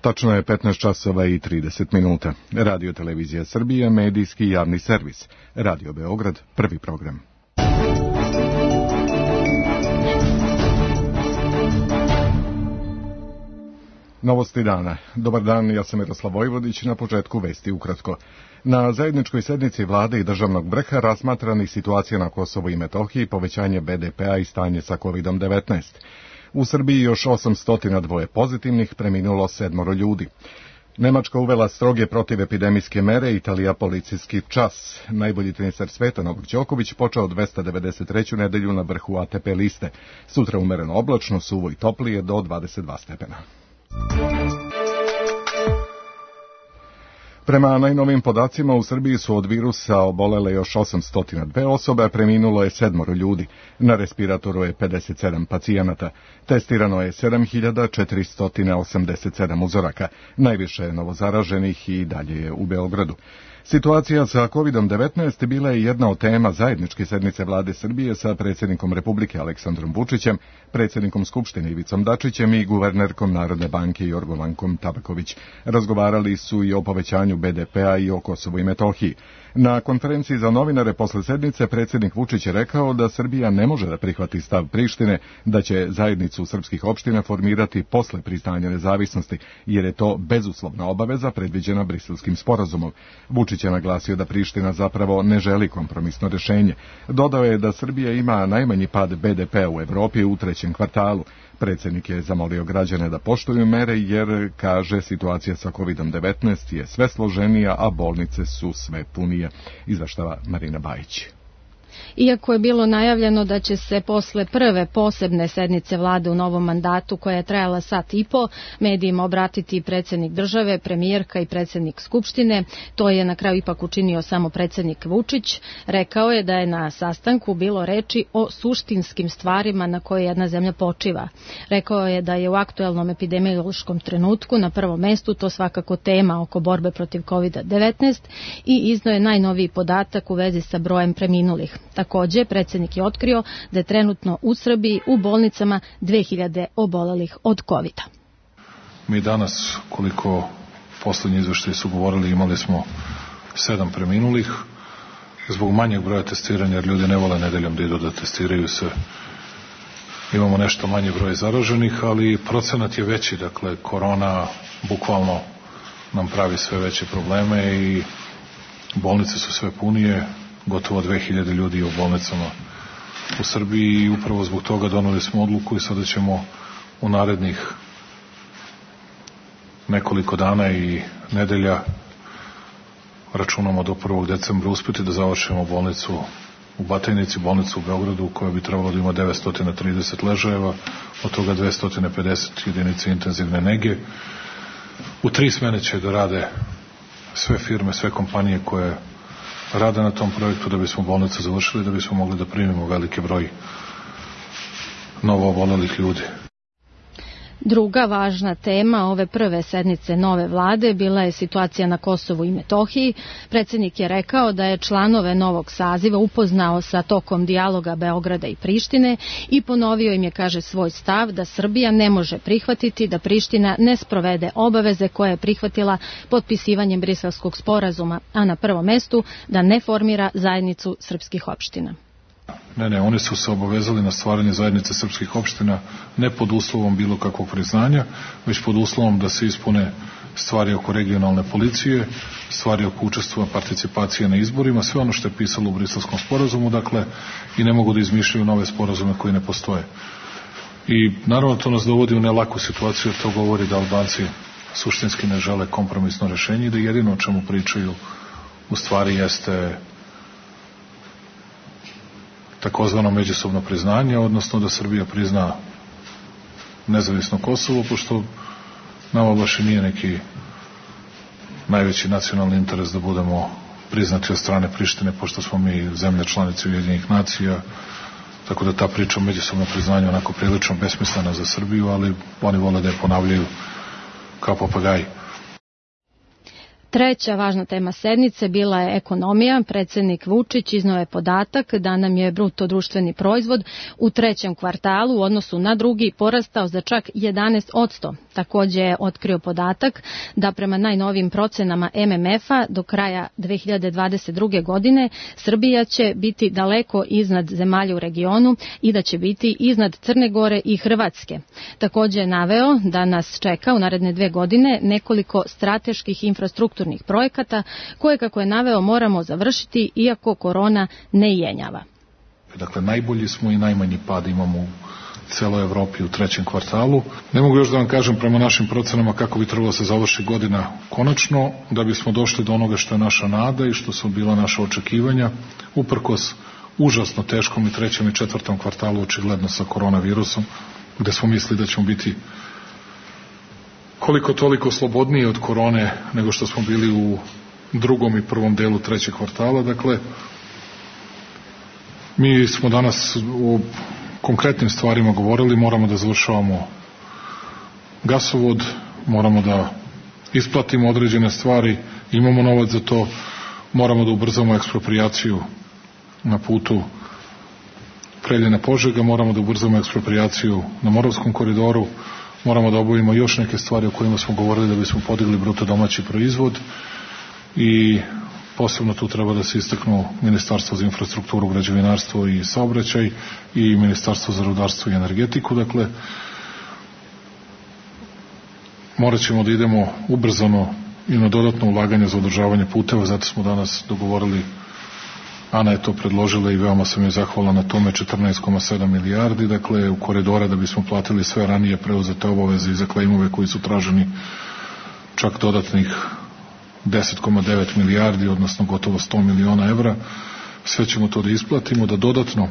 Tačno je 15 časova i 30 minuta. Radio Televizija Srbije, medijski javni servis. Radio Beograd, prvi program. Novosti dana. Dobar dan, ja sam Miroslav Vojvodić, na početku vesti ukratko. Na zajedničkoj sednici vlade i državnog vrha razmatrani situacija na Kosovu i Metohiji, povećanje BDP-a i stanje sa COVID-19. U Srbiji još 802 pozitivnih, preminulo 7 ljudi. Nemačka uvela stroge protivepidemijske mere, Italija policijski čas. Najbolji teniser sveta Novak Đoković počeo 293. nedelju na vrhu ATP liste. Sutra umereno oblačno, suvo i toplije do 22 stepena. Prema najnovim podacima u Srbiji su od virusa obolele još 802 osobe, a preminulo je 7 ljudi. Na respiratoru je 57 pacijenata. Testirano je 7487 uzoraka. Najviše je novozaraženih i dalje je u Beogradu. Situacija sa COVID-19 bila je jedna od tema zajedničke sednice vlade Srbije sa predsjednikom Republike Aleksandrom Vučićem, predsjednikom Skupštine Ivicom Dačićem i guvernerkom Narodne banke Jorgovankom Tabaković. Razgovarali su i o povećanju BDP-a i o Kosovu i Metohiji. Na konferenciji za novinare posle sednice predsjednik Vučić je rekao da Srbija ne može da prihvati stav Prištine, da će zajednicu srpskih opština formirati posle priznanja nezavisnosti, jer je to bezuslovna obaveza predviđena Briselskim sporazumom. Vučić je naglasio da Priština zapravo ne želi kompromisno rješenje. Dodao je da Srbija ima najmanji pad BDP-a u Evropi u trećem kvartalu. Predsjednik je zamolio građane da poštuju mere jer, kaže, situacija sa COVID-19 je sve složenija, a bolnice su sve punije. Izveštava Marina Bajić. Iako je bilo najavljeno da će se posle prve posebne sednice vlade u novom mandatu, koja je trajala sat i po, medijima obratiti predsjednik države, premijerka i predsjednik Skupštine, to je na kraju ipak učinio samo predsjednik Vučić. Rekao je da je na sastanku bilo reči o suštinskim stvarima na koje jedna zemlja počiva. Rekao je da je u aktuelnom epidemiološkom trenutku na prvom mestu to svakako tema oko borbe protiv COVID-19 i izneo je najnoviji podatak u vezi sa brojem preminulih. Također, predsjednik je otkrio da je trenutno u Srbiji u bolnicama 2000 obolelih od COVID-a. Mi danas, koliko posljednji izveštaji su govorili, imali smo 7 preminulih. Zbog manjeg broja testiranja, jer ljudi ne vole nedeljom da idu da testiraju se, imamo nešto manji broj zaraženih, ali procenat je veći. Dakle, korona bukvalno nam pravi sve veće probleme i bolnice su sve punije. Gotovo 2000 ljudi u bolnicama u Srbiji i upravo zbog toga doneli smo odluku i sada ćemo u narednih nekoliko dana i nedelja, računamo do 1. decembra, uspjeti da završimo bolnicu u Batajnici, bolnicu u Beogradu, koja bi trebalo da ima 930 ležajeva, od toga 250 jedinice intenzivne nege. U 3 smene će da rade sve firme, sve kompanije koje rade na tom projektu da bismo bolnicu završili, da bismo mogli da primimo veliki broj novo obolelih ljudi. Druga važna tema ove prve sednice nove vlade bila je situacija na Kosovu i Metohiji. Predsjednik je rekao da je članove novog saziva upoznao sa tokom dijaloga Beograda i Prištine i ponovio im je, kaže, svoj stav da Srbija ne može prihvatiti da Priština ne sprovede obaveze koje je prihvatila potpisivanjem Briselskog sporazuma, a na prvom mestu da ne formira zajednicu srpskih opština. Ne, oni su se obavezali na stvaranje zajednice srpskih opština ne pod uslovom bilo kakvog priznanja, već pod uslovom da se ispune stvari oko regionalne policije, stvari oko učestvovanja participacije na izborima, sve ono što je pisalo u Briselskom sporazumu, dakle, i ne mogu da izmišljaju nove sporazume koji ne postoje. I naravno to nas dovodi u nelaku situaciju, jer to govori da Albanci suštinski ne žele kompromisno rešenje i da jedino o čemu pričaju u stvari jeste takozvano međusobno priznanje, odnosno da Srbija prizna nezavisno Kosovo, pošto nama baš i nije neki najveći nacionalni interes da budemo priznati od strane Prištine, pošto smo mi zemlja članice Ujedinjenih nacija, tako da ta priča o međusobnom priznanju onako prilično besmislena za Srbiju, ali oni vole da je ponavljaju kao papagaji. Treća važna tema sednice bila je ekonomija. Predsjednik Vučić izneo je podatak da nam je bruto društveni proizvod u trećem kvartalu u odnosu na drugi porastao za čak 11%. Također je otkrio podatak da prema najnovijim procenama MMF-a do kraja 2022. godine Srbija će biti daleko iznad zemalja u regionu i da će biti iznad Crne Gore i Hrvatske. Također je naveo da nas čeka u naredne 2 godine nekoliko strateških infrastrukturnih projekata koje, kako je naveo, moramo završiti iako korona ne jenjava. Dakle, najbolji smo i najmanji pad imamo u celoj Evropi u trećem kvartalu. Ne mogu još da vam kažem prema našim procenama kako bi trebalo se završi godina konačno, da bismo došli do onoga što je naša nada i što su bila naša očekivanja, uprkos užasno teškom i trećem i četvrtom kvartalu, očigledno sa koronavirusom, gde smo mislili da ćemo biti koliko toliko slobodniji od korone nego što smo bili u drugom i prvom delu trećeg kvartala. Dakle, mi smo danas o konkretnim stvarima govorili, moramo da završavamo gasovod, moramo da isplatimo određene stvari, imamo novac za to, moramo da ubrzamo eksproprijaciju na putu Preljina-Požega, moramo da ubrzamo eksproprijaciju na Moravskom koridoru, moramo da obavimo još neke stvari o kojima smo govorili da bismo podigli bruto domaći proizvod i posebno tu treba da se istaknu Ministarstvo za infrastrukturu, građevinarstvo i saobraćaj i Ministarstvo za rudarstvo i energetiku. Dakle, morat ćemo da idemo ubrzano i na dodatno ulaganje za održavanje puteva, zato smo danas dogovorili, Ana je to predložila i veoma sam joj zahvalan na tome, 14,7 milijardi, dakle, u koridora da bismo platili sve ranije preuzete obaveze i za klejmove koji su traženi čak dodatnih 10,9 milijardi, odnosno gotovo 100 miliona evra. Sve ćemo to da isplatimo, da dodatno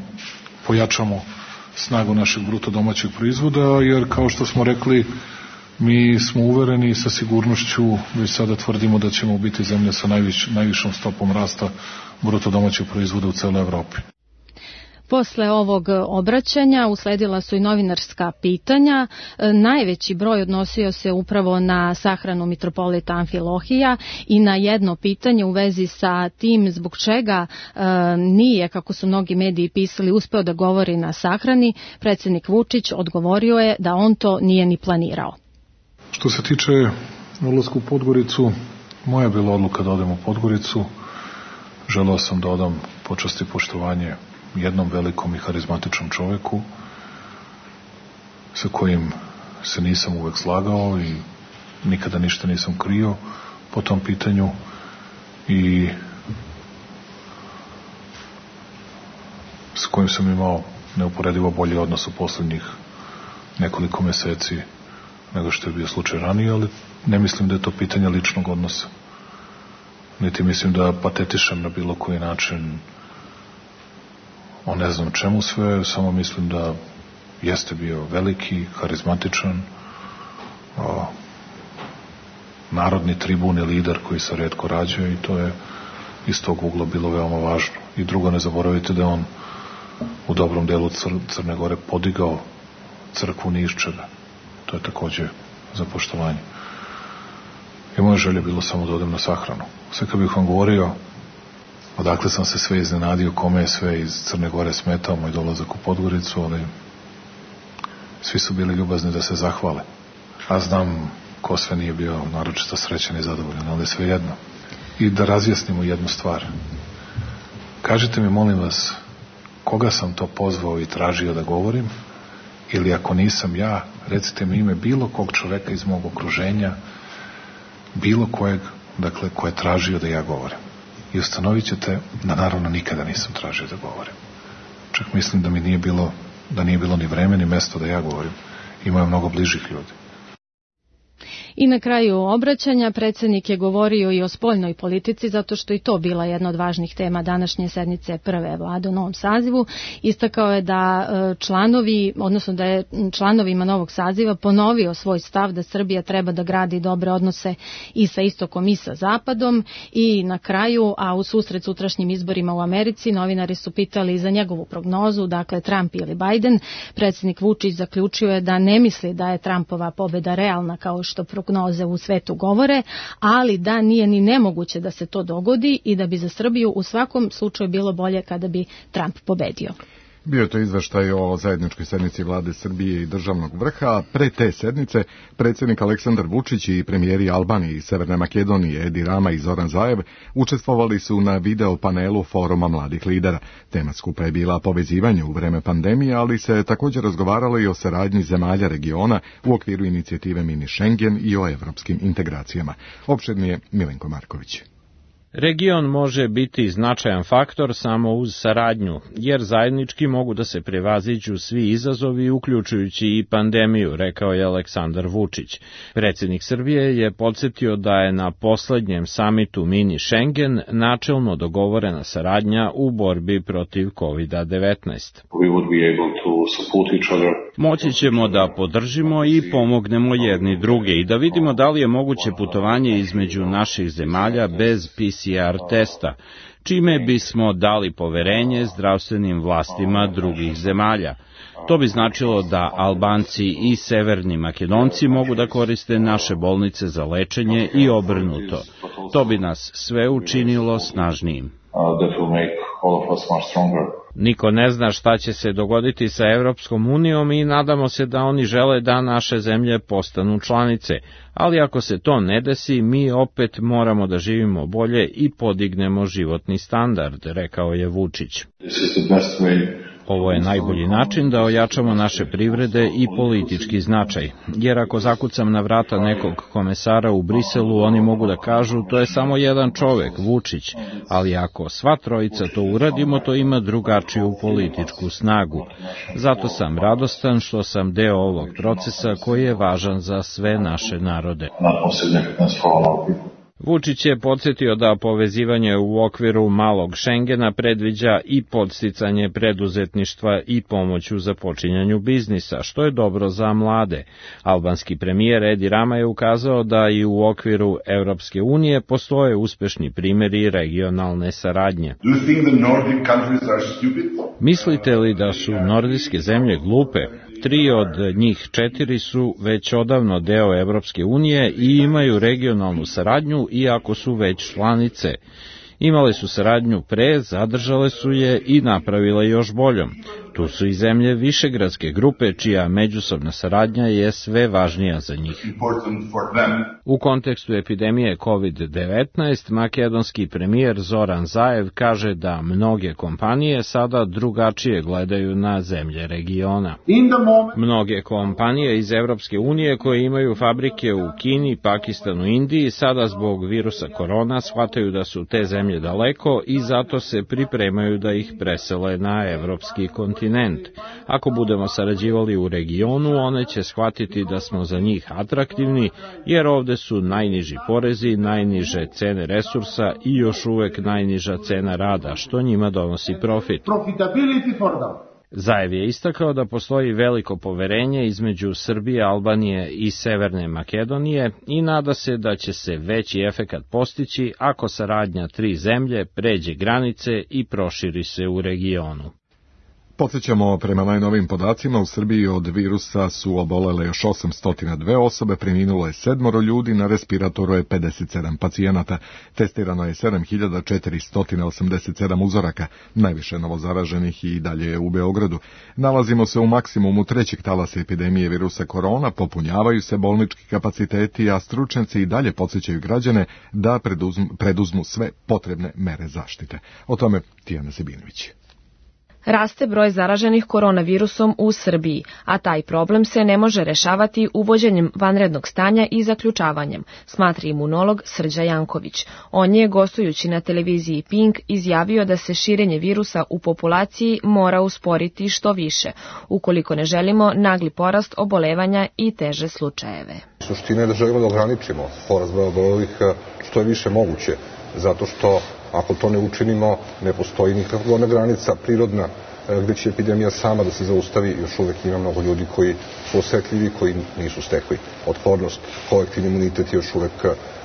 pojačamo snagu našeg bruto domaćeg proizvoda, jer kao što smo rekli, mi smo uvereni i sa sigurnošću već sada tvrdimo da ćemo biti zemlja sa najvišom stopom rasta bruto domaćeg proizvoda u celoj Evropi. Posle ovog obraćanja usledila su i novinarska pitanja. Najveći broj odnosio se upravo na sahranu mitropolita Amfilohija i na jedno pitanje u vezi sa tim zbog čega nije, kako su mnogi mediji pisali, uspeo da govori na sahrani. Predsjednik Vučić odgovorio je da on to nije ni planirao. Što se tiče odlaska u Podgoricu, moja je bila odluka da odem u Podgoricu. Želeo sam da odam počast i poštovanje jednom velikom i harizmatičnom čoveku sa kojim se nisam uvek slagao i nikada ništa nisam krio po tom pitanju i s kojim sam imao neuporedivo bolji odnos u poslednjih nekoliko meseci nego što je bio slučaj ranije, ali ne mislim da je to pitanje ličnog odnosa. Niti mislim da patetišem na bilo koji način o ne znam čemu sve, samo mislim da jeste bio veliki, harizmatičan, narodni tribun i lider koji se retko rađa i to je iz tog ugla bilo veoma važno. I drugo, ne zaboravite da je on u dobrom delu Crne Gore podigao crkvu Niščeve. To je takođe za poštovanje. I moja želja bilo samo da odem na sahranu. Sve kad bih vam govorio odakle sam se sve iznenadio, kome je sve iz Crne Gore smetao moj dolazak u Podgoricu, ali svi su bili ljubazni da se zahvale. A znam ko sve nije bio naročito srećan i zadovoljan, ali sve jedno. I da razjasnimo jednu stvar. Kažite mi, molim vas, koga sam to pozvao i tražio da govorim, ili ako nisam ja, recite mi ime bilo kog čoveka iz mog okruženja, bilo kojeg, dakle, ko je tražio da ja govorim. I ustanovit ćete da naravno nikada nisam tražio da govorim. Čak mislim da mi nije bilo ni vreme ni mesto da ja govorim. Imao je mnogo bližih ljudi. I na kraju obraćanja predsjednik je govorio i o spoljnoj politici, zato što i to bila jedna od važnih tema današnje sednice prve vlade u novom sazivu. Istakao je da da je članovima novog saziva ponovio svoj stav da Srbija treba da gradi dobre odnose i sa istokom i sa zapadom. I na kraju, a u susret sutrašnjim izborima u Americi, novinari su pitali za njegovu prognozu, dakle Trump ili Biden. Predsjednik Vučić zaključio je da ne misli da je Trumpova pobeda realna kao što prognoze u svetu govore, ali da nije ni nemoguće da se to dogodi i da bi za Srbiju u svakom slučaju bilo bolje kada bi Trump pobedio. Bio je to izveštaj o zajedničkoj sednici vlade Srbije i državnog vrha, a pre te sednice predsjednik Aleksandar Vučić i premijeri Albanije i Severne Makedonije Edi Rama i Zoran Zaev učestvovali su na video panelu Foruma mladih lidera. Tema skupa je bila povezivanje u vreme pandemije, ali se također razgovaralo i o saradnji zemalja regiona u okviru inicijative Mini Schengen i o evropskim integracijama. Opširnije Milenko Marković. Region može biti značajan faktor samo uz saradnju, jer zajednički mogu da se prevaziđu svi izazovi, uključujući i pandemiju, rekao je Aleksandar Vučić. Predsjednik Srbije je podsjetio da je na poslednjem samitu Mini Schengen načelno dogovorena saradnja u borbi protiv COVID-19. Moći ćemo da podržimo i pomognemo jedni druge i da vidimo da li je moguće putovanje između naših zemalja bez PCR testa, čime bismo dali poverenje zdravstvenim vlastima drugih zemalja. To bi značilo da Albanci i Severni Makedonci mogu da koriste naše bolnice za lečenje i obrnuto. To bi nas sve učinilo snažnijim. Niko ne zna šta će se dogoditi sa Evropskom unijom i nadamo se da oni žele da naše zemlje postanu članice, ali ako se to ne desi, mi opet moramo da živimo bolje i podignemo životni standard, rekao je Vučić. Ovo je najbolji način da ojačamo naše privrede i politički značaj, jer ako zakucam na vrata nekog komesara u Briselu, oni mogu da kažu to je samo jedan čovek, Vučić, ali ako sva trojica to uradimo, to ima drugačiju političku snagu. Zato sam radostan što sam deo ovog procesa koji je važan za sve naše narode. Vučić je podsjetio da povezivanje u okviru malog Schengena predviđa i podsticanje preduzetništva i pomoć u započinjanju biznisa, što je dobro za mlade. Albanski premijer Edi Rama je ukazao da i u okviru Evropske unije postoje uspešni primjeri regionalne saradnje. Mislite li da su nordijske zemlje glupe? 3 od njih 4 su već odavno deo Evropske unije i imaju regionalnu saradnju, iako su već članice. Imale su saradnju pre, zadržale su je i napravile još boljom. Tu su i zemlje Višegradske grupe, čija međusobna saradnja je sve važnija za njih. U kontekstu epidemije COVID-19, makedonski premijer Zoran Zaev kaže da mnoge kompanije sada drugačije gledaju na zemlje regiona. Mnoge kompanije iz Evropske unije koje imaju fabrike u Kini, Pakistanu i Indiji sada zbog virusa korona shvataju da su te zemlje daleko i zato se pripremaju da ih presele na evropski kontinent. Ako budemo sarađivali u regionu, one će shvatiti da smo za njih atraktivni, jer ovde su najniži porezi, najniže cene resursa i još uvek najniža cena rada, što njima donosi profit. Zaev je istakao da postoji veliko poverenje između Srbije, Albanije i Severne Makedonije i nada se da će se veći efekat postići ako saradnja 3 zemlje pređe granice i proširi se u regionu. Podsjećamo, prema najnovim podacima, u Srbiji od virusa su obolele još 802 osobe, preminulo je 7 ljudi, na respiratoru je 57 pacijenata, testirano je 7487 uzoraka, najviše novozaraženih i dalje je u Beogradu. Nalazimo se u maksimumu 3. talasa epidemije virusa korona, popunjavaju se bolnički kapaciteti, a stručnjaci i dalje podsjećaju građane da preduzmu sve potrebne mere zaštite. O tome Tijana Sebinović. Raste broj zaraženih koronavirusom u Srbiji, a taj problem se ne može rešavati uvođenjem vanrednog stanja i zaključavanjem, smatra imunolog Srđa Janković. On je, gostujući na televiziji Pink, izjavio da se širenje virusa u populaciji mora usporiti što više, ukoliko ne želimo nagli porast obolevanja i teže slučajeve. Suština je da želimo da ograničimo porast broja obolelih što je više moguće, zato što ako to ne učinimo, ne postoji nikakva granica prirodna gde će epidemija sama da se zaustavi. Još uvek ima mnogo ljudi koji su osetljivi, koji nisu stekli otpornost. Kolektivni imunitet je još uvek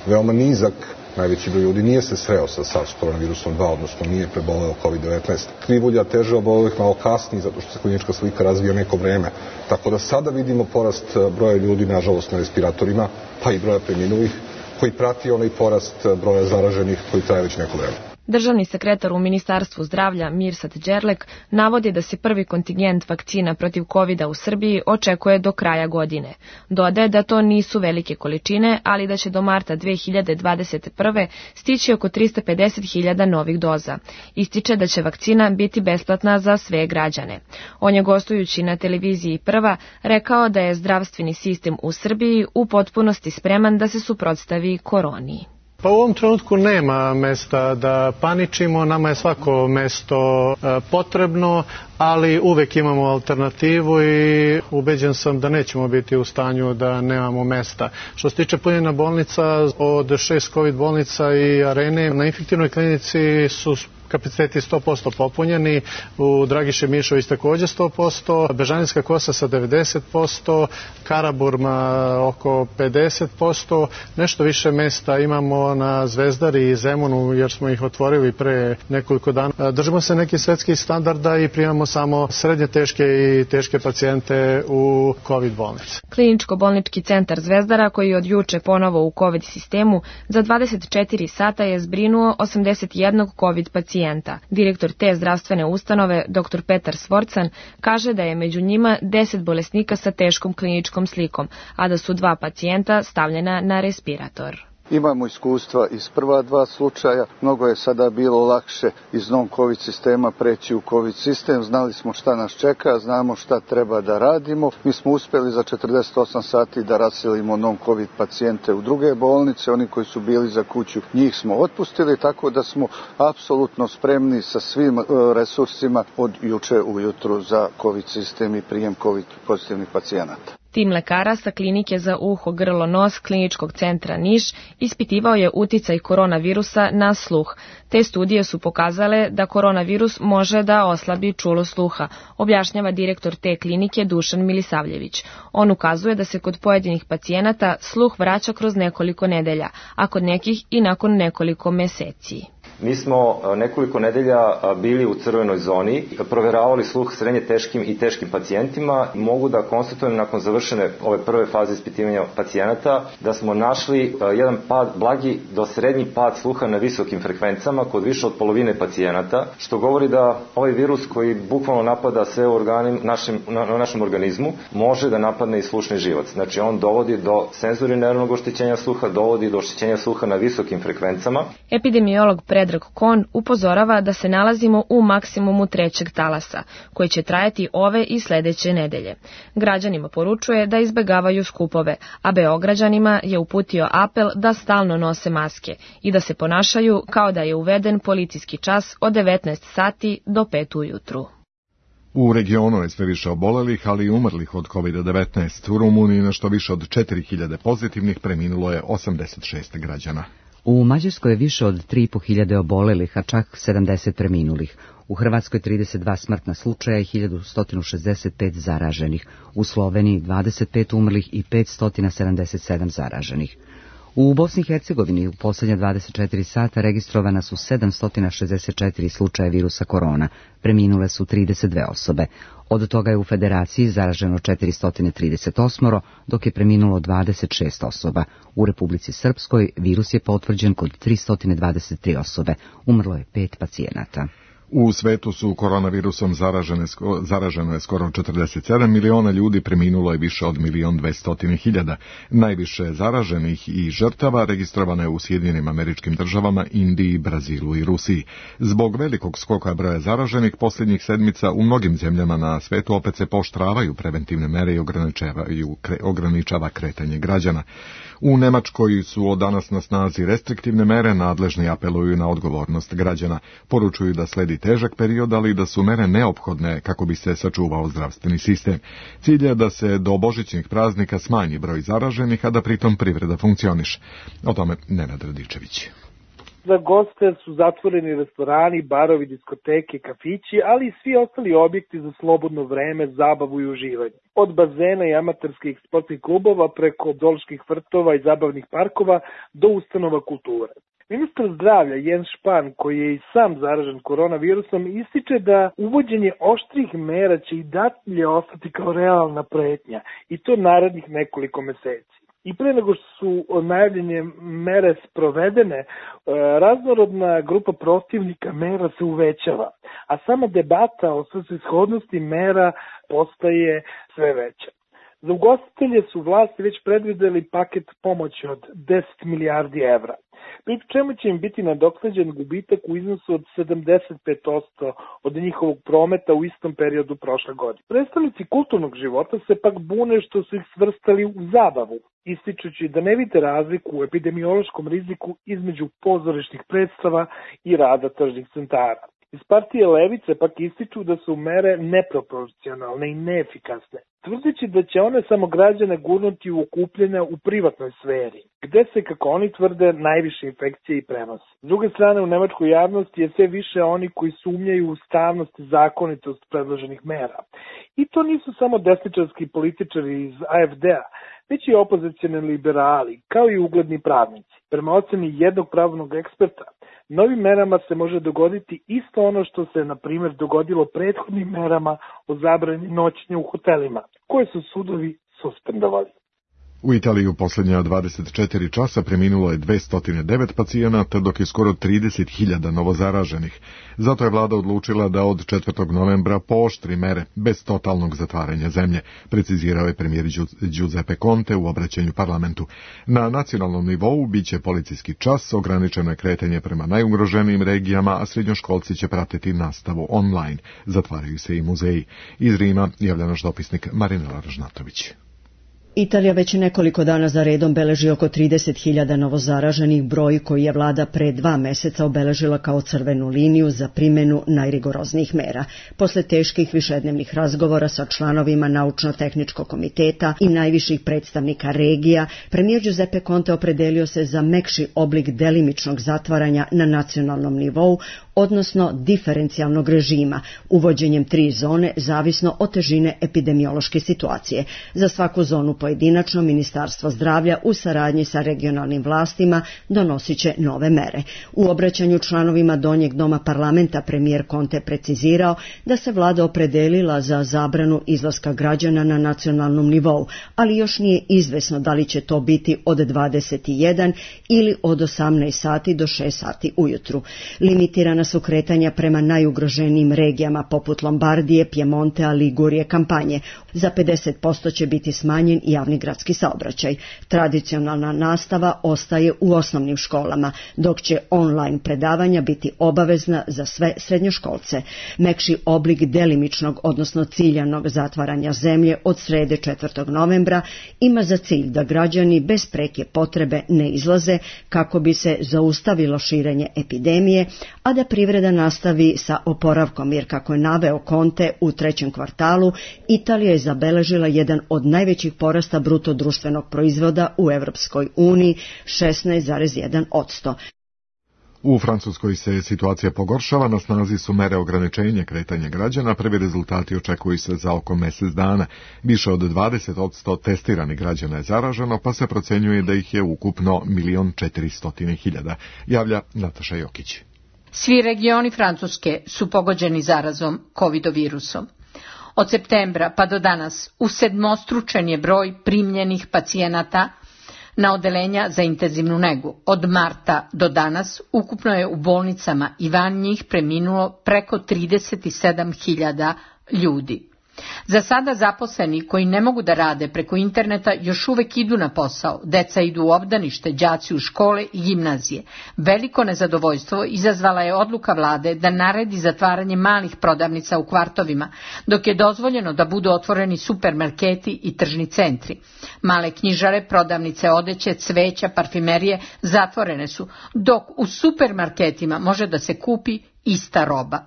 veoma nizak najveći broj ljudi nije se sreo sa SARS koronavirusom 2, odnosno nije preboleo COVID-19. Krivulja teže obolelih malo kasnije, zato što se klinička slika razvija neko vreme. Tako da sada vidimo porast broja ljudi, nažalost, na respiratorima, pa i broja preminulih, koji prati onaj porast broja zaraženih koji traje već neko vreme. Državni sekretar u Ministarstvu zdravlja Mirsad Đerlek navodi da se prvi kontingent vakcina protiv COVID-a u Srbiji očekuje do kraja godine. Dodaje da to nisu velike količine, ali da će do marta 2021. stići oko 350.000 novih doza. Ističe da će vakcina biti besplatna za sve građane. On je gostujući na televiziji Prva rekao da je zdravstveni sistem u Srbiji u potpunosti spreman da se suprotstavi koroni. Pa u ovom trenutku nema mesta da paničimo, nama je svako mesto potrebno, ali uvek imamo alternativu i ubeđen sam da nećemo biti u stanju da nemamo mesta. Što se tiče punjenja bolnica, od 6 COVID bolnica i arene, na infektivnoj klinici su kapaciteti 100% popunjeni, u Dragiše Mišović takođe 100%, Bežanijska Kosa sa 90%, Karaburma oko 50%, nešto više mesta imamo na Zvezdari i Zemunu jer smo ih otvorili pre nekoliko dana. Držimo se nekih svetskih standarda i primamo samo srednje teške i teške pacijente u COVID bolnice. Kliničko-bolnički centar Zvezdara, koji je od juče ponovo u COVID sistemu, za 24 sata je zbrinuo 81 COVID pacijenta. Direktor te zdravstvene ustanove, dr. Petar Svorcan, kaže da je među njima 10 bolesnika sa teškom kliničkom slikom, a da su 2 pacijenta stavljena na respirator. Imamo iskustva iz prva 2 slučaja, mnogo je sada bilo lakše iz non-COVID sistema preći u COVID sistem, znali smo šta nas čeka, znamo šta treba da radimo. Mi smo uspeli za 48 sati da raselimo non-COVID pacijente u druge bolnice, oni koji su bili za kuću, njih smo otpustili, tako da smo apsolutno spremni sa svim resursima od juče ujutru za COVID sistem i prijem COVID pozitivnih pacijenata. Tim lekara sa klinike za uho, grlo, nos Kliničkog centra Niš ispitivao je uticaj koronavirusa na sluh. Te studije su pokazale da koronavirus može da oslabi čulo sluha, objašnjava direktor te klinike Dušan Milisavljević. On ukazuje da se kod pojedinih pacijenata sluh vraća kroz nekoliko nedelja, a kod nekih i nakon nekoliko meseci. Mi smo nekoliko nedelja bili u crvenoj zoni, proveravali sluh srednje teškim i teškim pacijentima. Mogu da konstatujem nakon završene ove prve faze ispitivanja pacijenata da smo našli jedan pad, blagi do srednji pad sluha na visokim frekvencama kod više od polovine pacijenata, što govori da ovaj virus koji bukvalno napada sve organe našem organizmu može da napadne i slušni živac. Znači on dovodi do senzorineuronog oštećenja sluha, dovodi do oštećenja sluha na visokim frekvencama. Epidemiolog Predrag Kon upozorava da se nalazimo u maksimumu 3. talasa, koji će trajati ove i sledeće nedelje. Građanima poručuje da izbegavaju skupove, a Beograđanima je uputio apel da stalno nose maske i da se ponašaju kao da je uveden policijski čas od 19 sati do 5 ujutru. U regionu je sve više obolelih, ali i umrlih od COVID-19. U Rumuniji nešto više od 4000 pozitivnih, preminulo je 86 građana. U Mađarskoj je više od 3.500 obolelih, a čak 70 preminulih. U Hrvatskoj 32 smrtna slučaja i 1165 zaraženih. U Sloveniji 25 umrlih i 577 zaraženih. U Bosni i Hercegovini u posljednja 24 sata registrovana su 764 slučaja virusa korona, preminule su 32 osobe. Od toga je u Federaciji zaraženo 438, dok je preminulo 26 osoba. U Republici Srpskoj virus je potvrđen kod 323 osobe, umrlo je 5 pacijenata. U svetu su koronavirusom zaraženo je skoro 47 miliona ljudi, preminulo je više od 1.200.000. Najviše zaraženih i žrtava registrovano je u Sjedinjenim Američkim Državama, Indiji, Brazilu i Rusiji. Zbog velikog skoka broja zaraženih posljednjih sedmica u mnogim zemljama na svetu opet se pooštravaju preventivne mere i ograničava kretanje građana. U Nemačkoj su od danas na snazi restriktivne mere, nadležni apeluju na odgovornost građana. Poručuju da sledi težak period, ali da su mere neophodne kako bi se sačuvao zdravstveni sistem. Cilj je da se do božićnih praznika smanji broj zaraženih, a da pritom privreda funkcioniše. O tome Nenad Radičević. Za goste su zatvoreni restorani, barovi, diskoteke, kafići, ali i svi ostali objekti za slobodno vreme, zabavu i uživanje. Od bazena i amaterskih sportskih klubova preko zooloških vrtova i zabavnih parkova do ustanova kulture. Ministar zdravlja Jens Spahn, koji je i sam zaražen koronavirusom, ističe da uvođenje oštrih mera će i dalje ostati kao realna pretnja i to narednih nekoliko meseci. I pre nego što su najavljene mere sprovedene, raznorodna grupa protivnika mera se uvećava, a sama debata o svrsishodnosti mera postaje sve veća. Za ugostitelje su vlasti već predvideli paket pomoći od 10 milijardi evra, pri čemu će im biti nadoknađen gubitak u iznosu od 75% od njihovog prometa u istom periodu prošle godine. Predstavnici kulturnog života se pak bune što su ih svrstali u zabavu, ističući da ne vide razliku u epidemiološkom riziku između pozorišnih predstava i rada tržnih centara. Iz partije Levice pak ističu da su mere neproporcionalne i neefikasne, tvrdeći da će one samo građane gurnuti u okupljenja u privatnoj sferi, gde se, kako oni tvrde, najviše infekcije i prenose. S druge strane, u nemačkoj javnosti je sve više oni koji sumnjaju u ustavnost i zakonitost predloženih mera. I to nisu samo desničarski političari iz AfD-a, već i opozicioni liberali, kao i ugledni pravnici. Prema oceni jednog pravnog eksperta, novim merama se može dogoditi isto ono što se, na primjer, dogodilo prethodnim merama o zabrani noćenja u hotelima, koje su sudovi suspendovali. U Italiji u posljednja 24 časa preminulo je 209 pacijenata, dok je skoro 30.000 novozaraženih. Zato je vlada odlučila da od 4. novembra pooštri mere bez totalnog zatvaranja zemlje, precizirao je premijer Giuseppe Conte u obraćanju parlamentu. Na nacionalnom nivou biće policijski čas, ograničeno je kretanje prema najugroženijim regijama, a srednjoškolci će pratiti nastavu online. Zatvaraju se i muzeji. Iz Rima javlja naš dopisnik Marinela Ražnatović. Italija već nekoliko dana za redom beleži oko 30.000 novozaraženih, broj koji je vlada pre 2 meseca obeležila kao crvenu liniju za primjenu najrigoroznijih mera. Posle teških višednevnih razgovora sa članovima Naučno-tehničkog komiteta i najviših predstavnika regija, premijer Giuseppe Conte opredelio se za mekši oblik delimičnog zatvaranja na nacionalnom nivou, odnosno diferencijalnog režima, uvođenjem 3 zone zavisno od težine epidemiološke situacije. Za svaku zonu pojedinačno Ministarstvo zdravlja u saradnji sa regionalnim vlastima donosit će nove mere. U obraćanju članovima Donjeg doma parlamenta premijer Conte precizirao da se vlada opredelila za zabranu izlaska građana na nacionalnom nivou, ali još nije izvesno da li će to biti od 21 ili od 18 sati do 6 sati ujutru. Limitirana su kretanja prema najugroženijim regijama poput Lombardije, Pjemontea, Ligurije, Kampanje. Za 50% će biti smanjen javni gradski saobraćaj. Tradicionalna nastava ostaje u osnovnim školama, dok će online predavanja biti obavezna za sve srednjoškolce. Mekši oblik delimičnog, odnosno ciljanog zatvaranja zemlje od srede 4. novembra ima za cilj da građani bez preke potrebe ne izlaze kako bi se zaustavilo širenje epidemije, a da privreda nastavi sa oporavkom, jer kako je naveo Conte u 3. kvartalu, Italija je zabeležila jedan od najvećih porasta bruto društvenog proizvoda u Evropskoj uniji, 16,1%. U Francuskoj se situacija pogoršava, na snazi su mere ograničenja kretanja građana, prvi rezultati očekuju se za oko mjesec dana. Više od 20% testiranih građana je zaraženo, pa se procenjuje da ih je ukupno 1.400.000, javlja Nataša Jokić. Svi regioni Francuske su pogođeni zarazom COVID-virusom. Od septembra pa do danas usedmostručen je broj primljenih pacijenata na odeljenja za intenzivnu negu. Od marta do danas ukupno je u bolnicama i van njih preminulo preko 37.000 ljudi. Za sada zaposleni koji ne mogu da rade preko interneta još uvek idu na posao, deca idu u obdanište, đaci u škole i gimnazije. Veliko nezadovoljstvo izazvala je odluka vlade da naredi zatvaranje malih prodavnica u kvartovima, dok je dozvoljeno da budu otvoreni supermarketi i tržni centri. Male knjižare, prodavnice odeće, cveća, parfimerije zatvorene su, dok u supermarketima može da se kupi ista roba.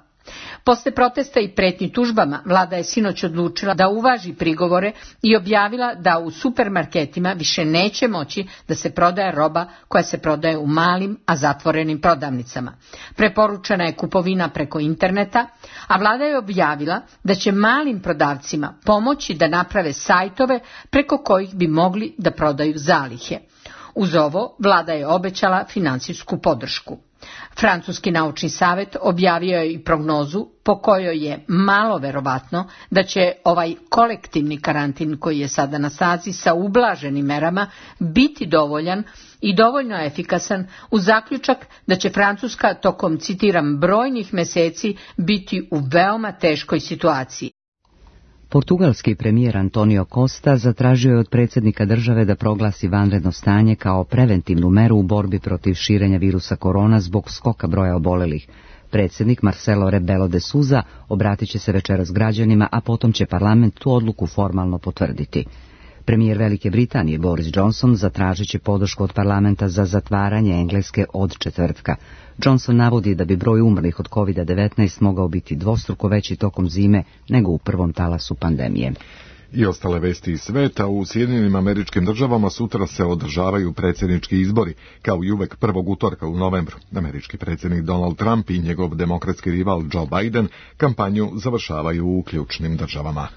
Posle protesta i pretnji tužbama, vlada je sinoć odlučila da uvaži prigovore i objavila da u supermarketima više neće moći da se prodaje roba koja se prodaje u malim, a zatvorenim prodavnicama. Preporučena je kupovina preko interneta, a vlada je objavila da će malim prodavcima pomoći da naprave sajtove preko kojih bi mogli da prodaju zalihe. Uz ovo, vlada je obećala finansijsku podršku. Francuski naučni savet objavio je i prognozu po kojoj je malo verovatno da će ovaj kolektivni karantin koji je sada na snazi sa ublaženim merama biti dovoljan i dovoljno efikasan uz zaključak da će Francuska tokom, citiram, brojnih meseci biti u veoma teškoj situaciji. Portugalski premijer Antonio Costa zatražio je od predsjednika države da proglasi vanredno stanje kao preventivnu meru u borbi protiv širenja virusa korona zbog skoka broja obolelih. Predsjednik Marcelo Rebelo de Sousa obratit će se večeras građanima, a potom će parlament tu odluku formalno potvrditi. Premijer Velike Britanije Boris Johnson zatražit će podršku od parlamenta za zatvaranje Engleske od četvrtka. Johnson navodi da bi broj umrlih od COVID-19 mogao biti dvostruko veći tokom zime nego u prvom talasu pandemije. I ostale vesti iz sveta. U Sjedinjenim Američkim Državama sutra se održavaju predsjednički izbori, kao i uvek prvog utorka u novembru. Američki predsjednik Donald Trump i njegov demokratski rival Joe Biden kampanju završavaju u ključnim državama.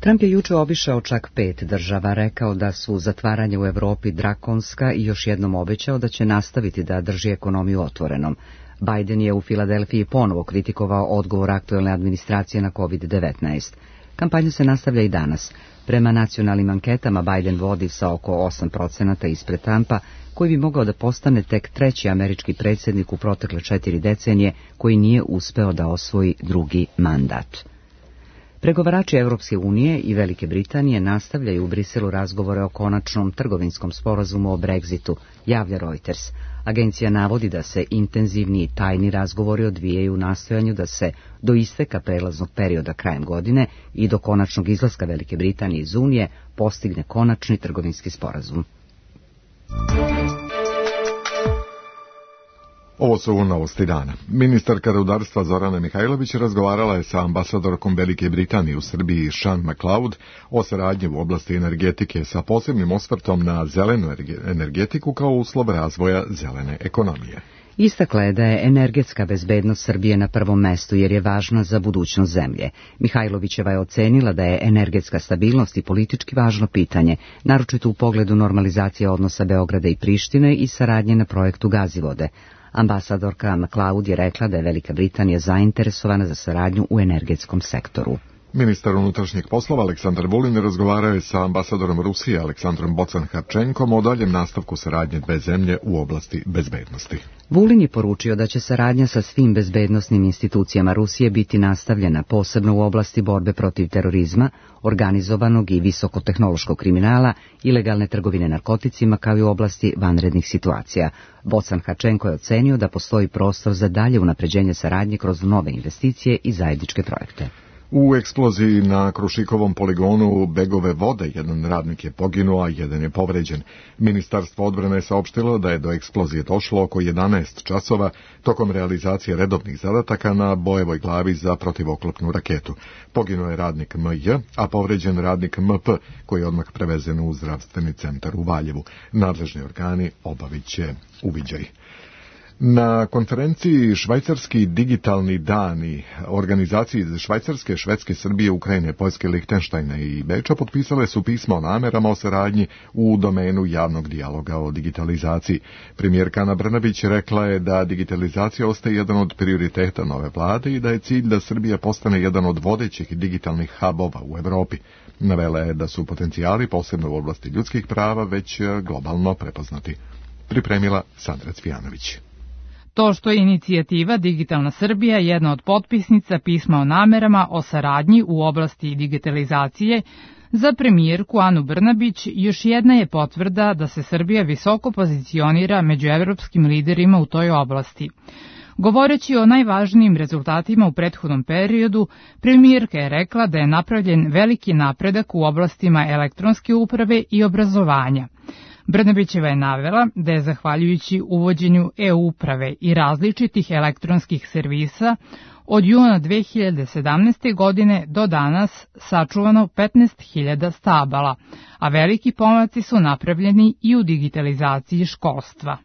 Trump je juče obišao čak 5 država, rekao da su zatvaranje u Europi drakonska i još jednom obećao da će nastaviti da drži ekonomiju otvorenom. Biden je u Filadelfiji ponovo kritikovao odgovor aktuelne administracije na COVID-19. Kampanja se nastavlja i danas. Prema nacionalnim anketama Biden vodi sa oko 8% ispred Trumpa, koji bi mogao da postane tek treći američki predsjednik u protekle 4 decenije koji nije uspeo da osvoji drugi mandat. Pregovarači Europske unije i Velike Britanije nastavljaju u Briselu razgovore o konačnom trgovinskom sporazumu o Brexitu, javlja Reuters. Agencija navodi da se intenzivni i tajni razgovori odvijaju u nastojanju da se do isteka prelaznog perioda krajem godine i do konačnog izlaska Velike Britanije iz Unije postigne konačni trgovinski sporazum. Ovo su novosti dana. Ministarka rudarstva Zorana Mihajlović razgovarala je sa ambasadorkom Velike Britanije u Srbiji Sean McLeod o saradnji u oblasti energetike sa posebnim osvrtom na zelenu energetiku kao uslov razvoja zelene ekonomije. Istakla je da je energetska bezbednost Srbije na prvom mestu jer je važna za budućnost zemlje. Mihajlovićeva je ocenila da je energetska stabilnost i politički važno pitanje, naročito u pogledu normalizacije odnosa Beograda i Prištine i saradnje na projektu Gazivode. Ambasadorka McLeod je rekla da je Velika Britanija zainteresovana za saradnju u energetskom sektoru. Ministar unutrašnjih poslova Aleksandar Vulin razgovarao je sa ambasadorom Rusije Aleksandrom Bocan-Harčenkom o daljem nastavku saradnje dve zemlje u oblasti bezbednosti. Vulin je poručio da će saradnja sa svim bezbednosnim institucijama Rusije biti nastavljena, posebno u oblasti borbe protiv terorizma, organizovanog i visokotehnološkog kriminala, ilegalne trgovine narkoticima kao i u oblasti vanrednih situacija. Bocan-Harčenko je ocenio da postoji prostor za dalje unapređenje saradnje kroz nove investicije i zajedničke projekte. U eksploziji na Krušikovom poligonu Begove Vode jedan radnik je poginuo, a jedan je povređen. Ministarstvo odbrane je saopštilo da je do eksplozije došlo oko 11 časova tokom realizacije redovnih zadataka na Bojevoj glavi za protivoklopnu raketu. Poginuo je radnik MJ, a povređen radnik MP, koji je odmah prevezen u zdravstveni centar u Valjevu. Nadležni organi obavit će uviđaj. Na konferenciji Švajcarski digitalni dani organizaciji iz Švajcarske, Švedske, Srbije, Ukrajine, Poljske, Lihtenštajna i Beča potpisale su pismo o namerama o saradnji u domenu javnog dijaloga o digitalizaciji. Premijerka Ana Brnabić rekla je da digitalizacija ostaje jedan od prioriteta nove vlade i da je cilj da Srbija postane jedan od vodećih digitalnih hubova u Evropi. Navela je da su potencijali, posebno u oblasti ljudskih prava, već globalno prepoznati. Pripremila Sandra Cvijanović. To što je inicijativa Digitalna Srbija jedna od potpisnica pisma o namerama o saradnji u oblasti digitalizacije, za premijerku Anu Brnabić još jedna je potvrda da se Srbija visoko pozicionira među evropskim liderima u toj oblasti. Govoreći o najvažnijim rezultatima u prethodnom periodu, premijerka je rekla da je napravljen veliki napredak u oblastima elektronske uprave i obrazovanja. Brnabićeva je navela da je zahvaljujući uvođenju e-uprave i različitih elektronskih servisa od juna 2017. godine do danas sačuvano 15.000 stabala, a veliki pomaci su napravljeni i u digitalizaciji školstva.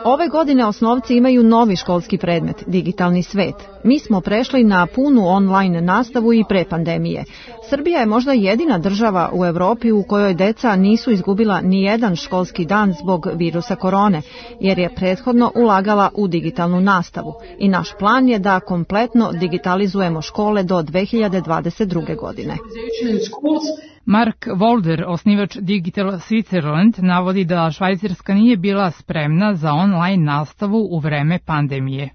Ove godine osnovci imaju novi školski predmet, digitalni svet. Mi smo prešli na punu online nastavu i pre pandemije. Srbija je možda jedina država u Evropi u kojoj deca nisu izgubila ni jedan školski dan zbog virusa korone, jer je prethodno ulagala u digitalnu nastavu. I naš plan je da kompletno digitalizujemo škole do 2022. godine. Mark Wolder, osnivač Digital Switzerland, navodi da Švajcarska nije bila spremna za online nastavu u vreme pandemije.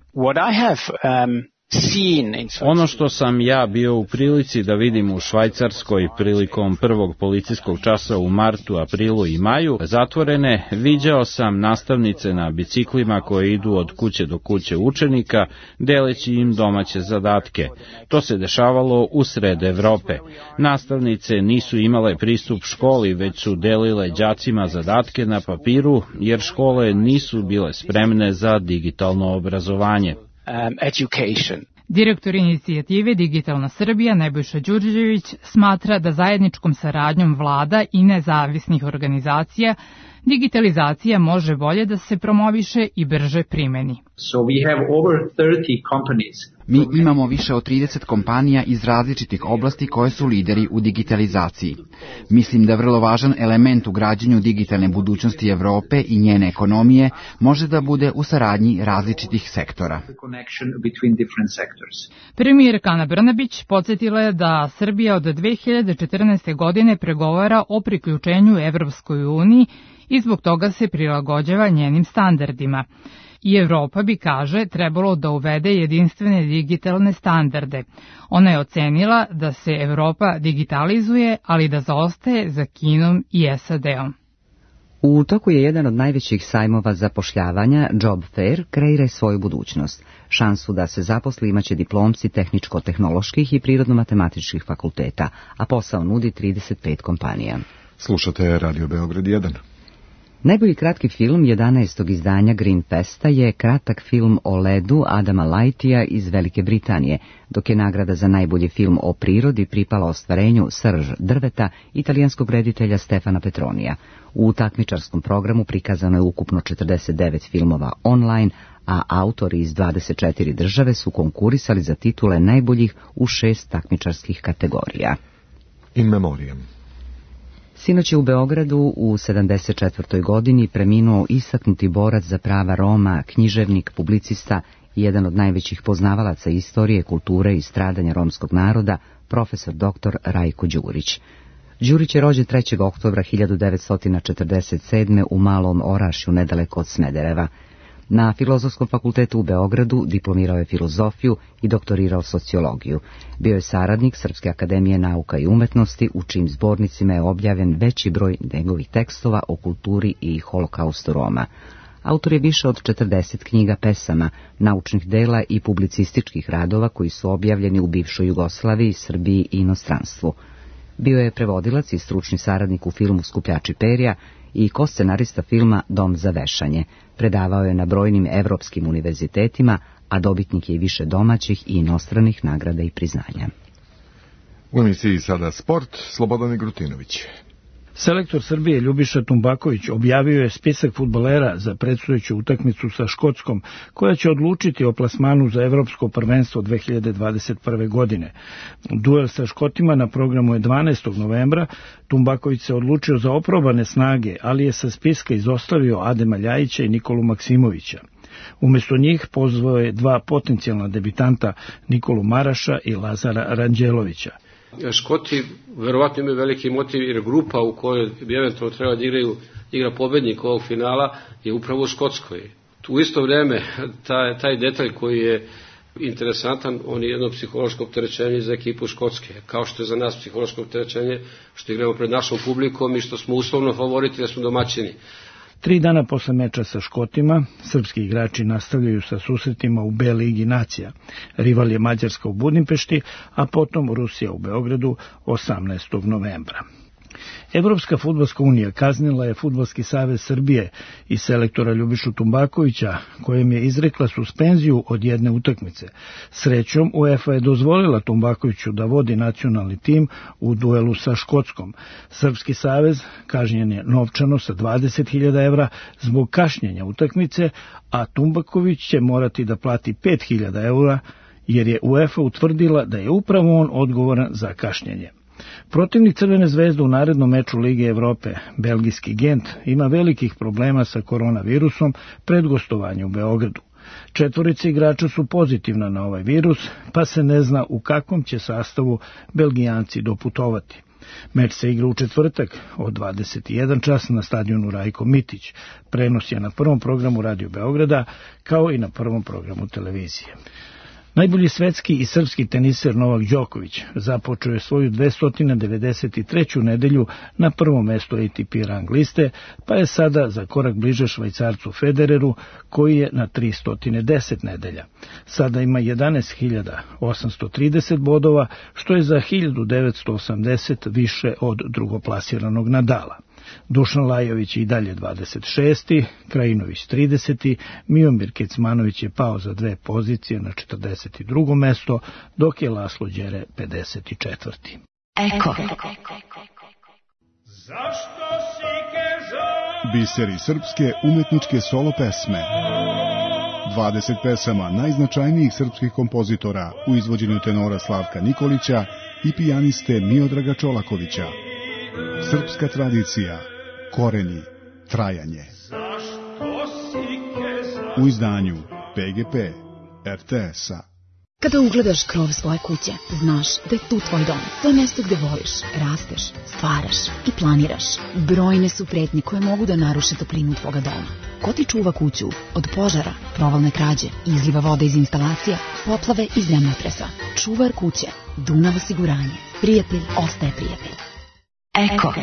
Ono što sam ja bio u prilici da vidim u Švajcarskoj prilikom prvog policijskog časa u martu, aprilu i maju zatvorene, viđao sam nastavnice na biciklima koje idu od kuće do kuće učenika, deleći im domaće zadatke. To se dešavalo u sred Evrope. Nastavnice nisu imale pristup školi, već su delile đacima zadatke na papiru, jer škole nisu bile spremne za digitalno obrazovanje. Direktor inicijative Digitalna Srbija Nebojša Đurđević smatra da zajedničkom saradnjom vlada i nezavisnih organizacija digitalizacija može bolje da se promoviše i brže primeni. Mi imamo više od 30 kompanija iz različitih oblasti koje su lideri u digitalizaciji. Mislim da vrlo važan element u građenju digitalne budućnosti Evrope i njene ekonomije može da bude u saradnji različitih sektora. Premijerka Ana Brnabić podsjetila je da Srbija od 2014. godine pregovara o priključenju Evropskoj uniji i zbog toga se prilagođava njenim standardima. I Evropa bi, kaže, trebalo da uvede jedinstvene digitalne standarde. Ona je ocenila da se Evropa digitalizuje, ali da zaostaje za Kinom i SAD-om. U toku je jedan od najvećih sajmova zapošljavanja, Job Fair, kreira svoju budućnost. Šansu da se zaposli imaće diplomci tehničko-tehnoloških i prirodno-matematičkih fakulteta, a posao nudi 35 kompanija. Slušate Radio Beograd 1. Najbolji kratki film 11. izdanja Green Festa je kratak film o ledu Adama Lightija iz Velike Britanije, dok je nagrada za najbolji film o prirodi pripala ostvarenju Srž drveta italijanskog reditelja Stefana Petronija. U takmičarskom programu prikazano je ukupno 49 filmova online, a autori iz 24 države su konkurisali za titule najboljih u 6 takmičarskih kategorija. In memoriam. Sinoć je u Beogradu u 74. godini preminuo istaknuti borac za prava Roma, književnik, publicista i jedan od najvećih poznavalaca istorije, kulture i stradanja romskog naroda, profesor dr. Rajko Đurić. Đurić je rođen 3. oktobra 1947. u Malom Orašju, nedaleko od Smedereva. Na Filozofskom fakultetu u Beogradu diplomirao je filozofiju i doktorirao sociologiju. Bio je saradnik Srpske akademije nauka i umetnosti, u čijim zbornicima je objavljen veći broj njegovih tekstova o kulturi i holokaustu Roma. Autor je više od 40 knjiga pesama, naučnih dela i publicističkih radova koji su objavljeni u bivšoj Jugoslaviji, Srbiji i inostranstvu. Bio je prevodilac i stručni saradnik u filmu Skupljači perja i koscenarista filma Dom za vešanje. Predavao je na brojnim evropskim univerzitetima, a dobitnik je i više domaćih i inostranih nagrada i priznanja. U emisiji sada sport, Slobodan Igrutinović. Selektor Srbije Ljubiša Tumbaković objavio je spisak fudbalera za predstojeću utakmicu sa Škotskom, koja će odlučiti o plasmanu za Evropsko prvenstvo 2021. godine. Duel sa Škotima na programu je 12. novembra. Tumbaković se odlučio za oprobane snage, ali je sa spiska izostavio Adema Ljajića i Nikolu Maksimovića. Umjesto njih pozvao je dva potencijalna debitanta, Nikolu Maraša i Lazara Ranđelovića. Škoti verovatno imaju veliki motiv, jer grupa u kojoj bi eventualno trebalo da igra pobednik ovog finala je upravo u Škotskoj. U isto vrijeme taj detalj koji je interesantan, on je jedno psihološko opterećenje za ekipu Škotske, kao što je za nas psihološko opterećenje što igramo pred našom publikom i što smo uslovno favoriti da smo domaćini. 3 dana posle meča sa Škotima, srpski igrači nastavljaju sa susretima u B ligi nacija. Rival je Mađarska u Budimpešti, a potom Rusija u Beogradu 18. novembra. Evropska fudbalska unija kaznila je Fudbalski savez Srbije i selektora Ljubišu Tumbakovića, kojem je izrekla suspenziju od jedne utakmice. Srećom, UEFA je dozvolila Tumbakoviću da vodi nacionalni tim u duelu sa Škotskom. Srpski savez kažnjen je novčano sa 20.000 evra zbog kašnjenja utakmice, a Tumbaković će morati da plati 5.000 evra jer je UEFA utvrdila da je upravo on odgovoran za kašnjenje. Protivnik Crvene zvezde u narednom meču Lige Evrope, belgijski Gent, ima velikih problema sa koronavirusom pred gostovanje u Beogradu. 4 igrača su pozitivna na ovaj virus, pa se ne zna u kakvom će sastavu Belgijanci doputovati. Meč se igra u četvrtak od 21 čas na stadionu Rajko Mitić. Prenos je na prvom programu Radio Beograda, kao i na prvom programu televizije. Najbolji svetski i srpski teniser Novak Đoković započeo je svoju 293. nedelju na prvom mestu ATP rang liste, pa je sada za korak bliže Švajcarcu Federeru, koji je na 310 nedelja. Sada ima 11.830 bodova, što je za 1980 više od drugoplasiranog Nadala. Dušan Lajović je i dalje 26. Krajinović 30. Miomir Kecmanović je pao za 2 pozicije na 42. mesto, dok je Laslo Đere 54. Eko. Biseri srpske umetničke solo pesme. 20 pesama najznačajnijih srpskih kompozitora u izvođenju tenora Slavka Nikolića i pijaniste Miodraga Čolakovića. Srpska tradicija, korenji, trajanje. U izdanju PGP RTS-a. Kada ugledaš krov svoje kuće, znaš da je tu tvoj dom. To je mjesto gde voliš, rasteš, stvaraš i planiraš. Brojne su pretnje koje mogu da naruše toplinu tvoga doma. Ko ti čuva kuću od požara, provalne krađe, izliva vode iz instalacija, poplave i zemljotresa? Čuvar kuće, Dunav osiguranje. Prijatelj ostaje prijatelj. Eko.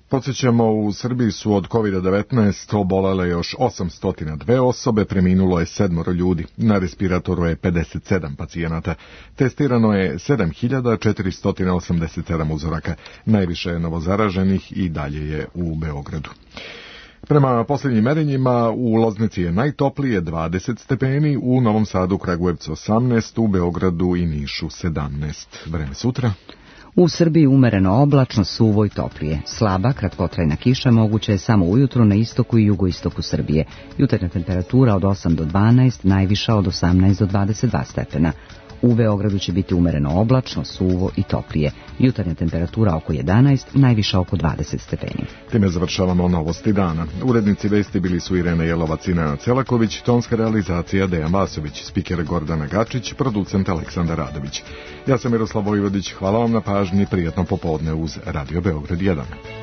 Podsjećamo, u Srbiji su od COVID-19 obolele još 802 osobe, preminulo je 7 ljudi, na respiratoru je 57 pacijenata, testirano je 7487 uzoraka, najviše je novozaraženih i dalje je u Beogradu. Prema posljednjim merenjima u Loznici je najtoplije 20 stepeni, u Novom Sadu, Kragujevcu 18, u Beogradu i Nišu 17. Vreme sutra. U Srbiji umereno oblačno, suvo i toplije. Slaba, kratkotrajna kiša moguća je samo ujutro na istoku i jugoistoku Srbije. Jutarnja temperatura od 8 do 12, najviša od 18 do 22 stepena. U Beogradu će biti umereno oblačno, suvo i toplije. Jutarnja temperatura oko 11, najviša oko 20 stepeni. Time završavamo novosti dana. Urednici vesti bili su Irena Jelovac i Nenad Celaković, tonska realizacija Dejan Vasović, spiker Gordana Gačić, producent Aleksandar Radović. Ja sam Miroslav Vojvodić, hvala vam na pažnji, prijatno popodne uz Radio Beograd 1.